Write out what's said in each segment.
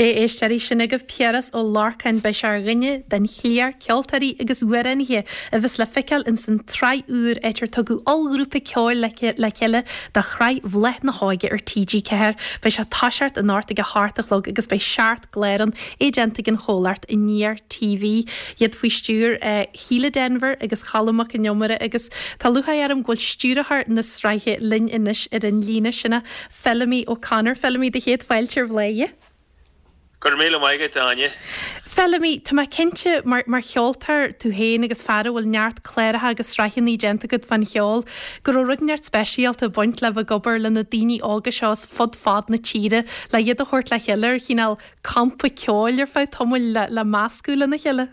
Sé éisteoirí, sin agaibh Piaras Ó Lorcáin, beidh sé ar dhuine den chliar ceoltóirí agus amhránaithe a bheas le feiceáil ins an tsraith úr áit ar tugadh ollghrúpa ceoil le chéile do shraith Bhláth na hÓige ar TG4. Beidh sé ag toiseacht anocht ag a hocht a chlog agus beidh seacht gclár ann, é déanta ag an chomhlacht Aniar TV, iad faoi stiúir Shíle Denvir agus Cholm Mac Con Iomaire agus tá lúcháir orm go bhfuil stiúrthóir na sraithe linn anois ar an líne, sin é Feilimí O'Connor. Feilimí, do chéad fáilte ar Bhladhaire. Go raibh míle maith agat, a Áine. Feilimí, tá mé cinnte, mar mar cheoltóir tú féin agus fear a bhfuil neart cláracha agus sraitheanna déanta agat fán cheol, go raibh rud inteacht speisialta ag baint le bheith ag obair le na daoine óga seo as fud fad na tíre le iad a thabhairt le chéile ar chineál campa ceoil ar feadh tamaill le le meascadh lena chéile.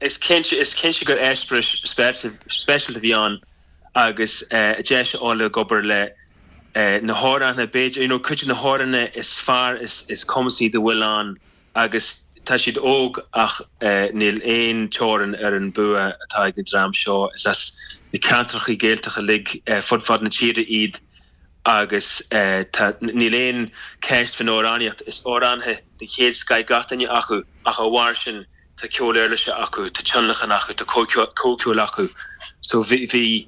Is cinnte, is cinnte gur eispéireas speisialta a bhí ann agus deis a fháil ag obair le na hamhránaithe, b'fhéidir, you know, cuid de na hamhránaithe is fearr, is cumasaí dá bhfuil ann agus tá siad óg ach níl aon teorainn ar an bua atá ag an dream seo. Is as na ceantracha Gaeltachta uilig fud fad na tíre iad agus tá, níl aon cheist faoin amhránaíocht, is amhránaithe den chéad scoith gach duine acu ach dá bharr sin tá ceol uirlise acu, tá tionlacan acu, tá comhcheol acu. So bhí, bhí,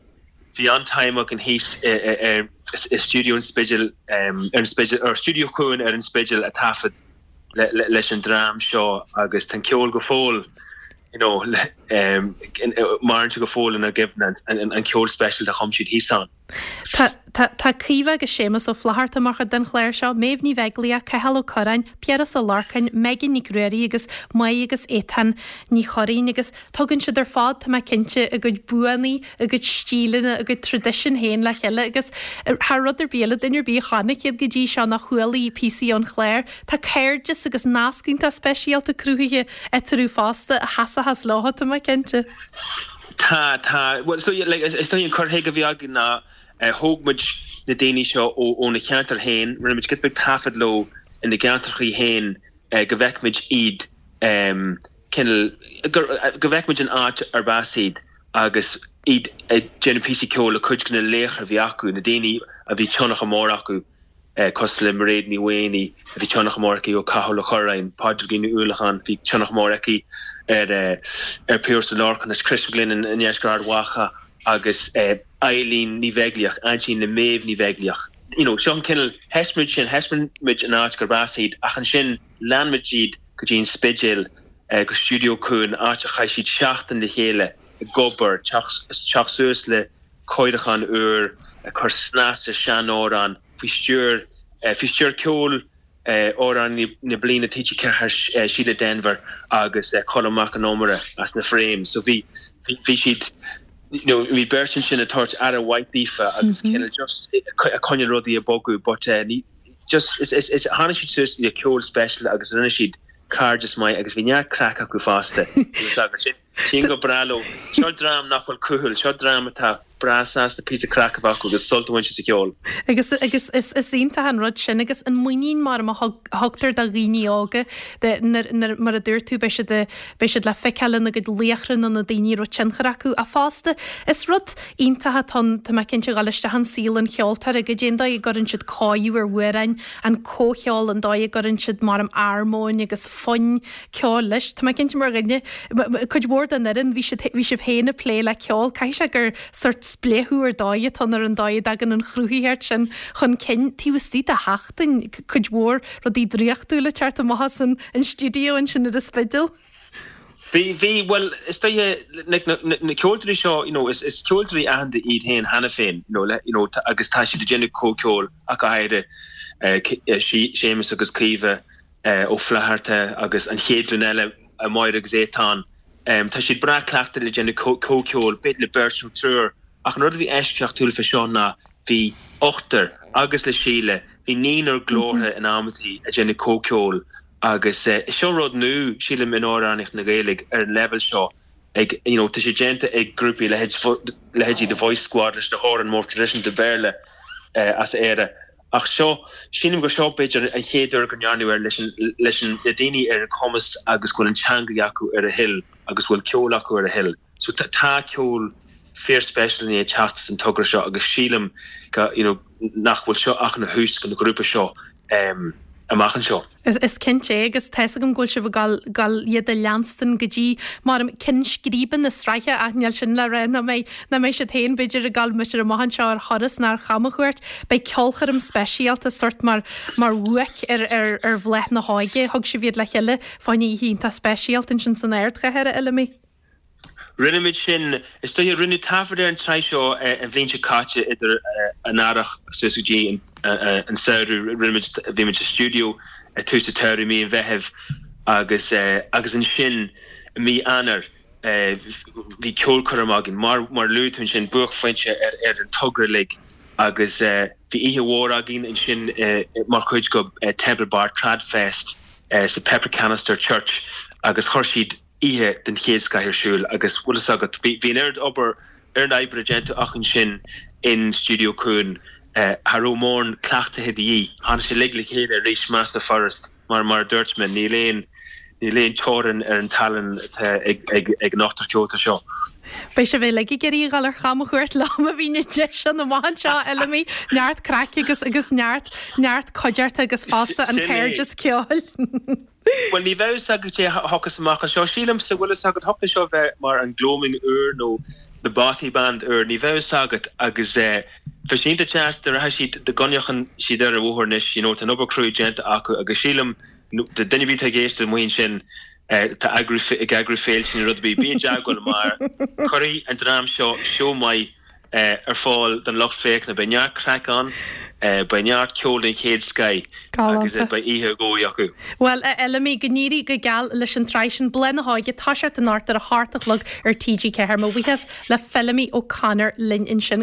bhí an-time againn thíos i, i stiúideo an Spidéil, ar an Spidéal, or Stiúideo Chuan ar an Spidéal ag taifead leis an dream seo agus tá an ceol go fóill, you know, maireann sé go fóill inár gcuimhne, an ceol speisialta a chum siad thíos ann. Tá, tá, tá Caoimhe agus Séamus Ó Flaithearta mar chuid den chlár seo, Méabh Ní Bheaglaoich, Cathal Ó Curráin, Piaras Ó Lorcáin, Megan Nic Ruairí agus Maí agus Étáin Ní Churraoin agus tugann siad ar fad, tá mé cinnte, a gcuid buanna, a gcuid stíleanna, a gcuid traidisiún féin le chéile agus thar rud ar bith eile, duine ar bith a chonaic iad go dtí seo nó a chualaigh píosaí ón chlár, tá cairdeas agus nasc iontach speisialta cruthaithe eatarthu fosta a sheasfas leo, tá mé cinnte. Tá, tá. Bhuel, so yeah, like, is dóigh an cur chuige a bhí againn ná thóg muid na daoine seo óna cheantar féin, rinne muid giota beag taifead leo ina gceantrachaí féin go bhfeicfimid iad cineál, go bhfeicfimid an áit arb as iad agus iad ag déanamh píosaí ceoil le cuid de na laochra a bhí acu, na daoine a bhí tionchar mór acu. cosúil le Mairéad Ní Mhaonaigh, a bhí tionchar mór aici ar Cathal Ó Curráin, Pádraigín Ní Uallacháin, bhí tionchar mór aici ar ar Piaras Ó Lorcáin, as Chris McGlynn i ndeisceart Ard Mhacha agus Eileen Ní Bheaglaoich, aintín le Méabh Ní Bheaglaoich. You know, seo an cineál, thaispeáin muid sin, thaispeáin muid an áit gurb as iad ach ansin lean muid iad go dtí an Spidéal, go Stiúideo Cuan, áit a chaith siad seachtain le chéile ag obair, teacht suas le cóiriúchán úr, ag cur snas ar seanamhráin faoi stiúir faoi stiúir ceoil Amhránaí na Bliana TG4 Síle Denvir agus Colm Mac Con Iomaire as na Frames. So bhí bhí siad you know bhí beirt ansin ag tabhairt aire mhaith daofa agus cineál just ag coinneáil rudaí ag bogadh but ní just is is is tháinig siad suas le ceol speisialta agus rinne siad cairdeas maith agus bhí neart craic acu fosta. Sin Téann go breá leo. Seo dream nach bhfuil cúthail, seo dream atá breá sásta píosa craic a bheith acu agus sult a bhaint as an cheol. Agus, agus is, is iontach an rud sin agus an muinín mar a thug, thugtar do dhaoine óga de, nuair, nuair, mar a dúirt tú, beidh siad, beidh siad le feiceáil lena gcuid laochra nó na daoine a raibh tionchar acu. Ach fosta, is rud iontach atá ann, tá mé cinnte, dhul isteach in saol an cheoltóra, goidé an dóigh a gcuireann siad cóiriú ar amhráin, an comhcheol, an dóigh a gcuireann siad mar armóin agus fonn ceoil leis. Tá mé cinnte mar dhuine, cuid mhór den fhoireann, bhí siad, bhí sibh féin ag plé le ceol, caithfidh sé gur sórt spléachadh ar dóigh atá ann ar an dóigh a dtagann an chruthaitheacht sin chun cinn taobh istigh de sheachtain, cuid mhór rudaí draíochtúla ag teacht amach as an stiúideo ansin ar an Spidéal. Bhí, bhí, bhuel, is dóiche, like, na, na, na ceoltóirí seo, you know, is, is ceoltóirí aitheanta iad féin cheana féin, you know, le, you know, agus tá siad ag déanamh comhcheoil ach go háirithe, eh, Séamus agus Caoimhe, Ó Flaithearta agus an chéad ghlúin eile, Máire agus Étáin. Tá siad breá cleachta le déanamh comhcheoil, b'fhéidir le beirt nó triúr, ach an rud a bhí eisceachtúil fé seo ná bhí ochtar, agus le Síle, bhí naonúr glórtha in amantaí ag déanamh comhcheoil agus seo rud nua, sílim, in amhránaíocht na Gaeilge ar an leibhéal seo. Ag, you know, tá sé déanta ag grúpaí leithéid, leithéidí The Voice Squad leis na hamhráin mór traidisiúnta Béarla as Éire. Ach seo, sílim gur seo b'fhéidir an chéad uair go ndearnadh é leis an, leis an, le daoine ar an chumas agus go bhfuil an teanga acu ar a thoil agus go bhfuil ceol acu ar a thoil. So tá, tá ceol fíor speisialta i ndiaidh teacht as an togra seo agus sílim go, you know, nach bhfuil seo ach ina thús don ghrúpa seo. amach anseo. Is cinnte é agus tá's agam go bhfuil sibh ag dul dul iad a leanstan go dtí mar ceann scríbe na sraithe ach níl sin le rá nach mbeidh nach mbeidh siad féin b'fhéidir ag dul b'fhéidir amach anseo ar thuras nó ar chamchuairt. Beidh ceolchoirm speisialta sórt mar mar bhuaic ar ar ar Bhláth na hÓige. Thug sibh iad le chéile fá choinne oíche iontach speisialta ansin san ardchathair, a Fheilimí. Rinne muid sin, is dóiche, rinneadh taifead ar an tsraith seo an bhliain seo caite idir an earrach suas go dtí an samhradh. Rinne muid, bhí muid sa stiúideo ag tús an tsamhraidh, mí an Mheithimh agus agus ansin i mí Eanáir bhí ceolchoirm againn. Mar mar a luaigh tú ansin, buaicphointe ar ar an togra uilig agus bhí oíche mhór againn ansin mar chuid de Temple Bar Tradfest sa Pepper Canister Church agus chuir siad oíche den chéad scoith ar siúl agus bhfuil fhios agat, bhí an oiread obair, oiread oibre déanta acu ansin in Stiúideo Cuan, cha raibh mórán cleachtaithe de dhíth, tháinig sé uilig le chéile arís mar is furast, mar mar a dúirt mé, níl aon, níl aon teorainn ar an tallann atá ag, ag, ag an ochtar ceoltóir seo. Beidh sibh uilig ag iarraidh a dhul ar chamchuairt leo má bhíonn an deis ann amach anseo, a Fheilimí, neart craic agus, agus neart, neart cuideachta agus fosta an Sin é. cairdeas ceoil. Bhuel, ní bheidh fhios agat cé a thiocfas amach anseo. Sílimse, bhfuil fhios agat, thiocfadh leis seo bheith mar an Gloaming úr nó The Bothy Band úr, ní bheidh fhios agat agus bheadh sé iontach deas dá rachadh siad, dá gcoinneodh siad ar an bhóthar anois, you know, tá an obair cruaidh déanta acu agus sílim, do duine ar bith atá ag éisteacht amuigh ansin, atá eagrú, ag eagrú féilte nó rud ar bith, bí i dteagmháil mar cuirfidh an dream seo seó maith ar fáil don lucht féachana. Beidh neart craic ann, beidh neart ceoil den chéad scoith agus beidh oíche ar dhóigh acu. Bhuel, a Fheilimí, go n-éirí go geal leis an tsraith sin, Bláth na hÓige, toiseacht anocht ar a hocht a chlog ar TG4. Mo bhuíochas le Feilimí O'Connor linn ansin.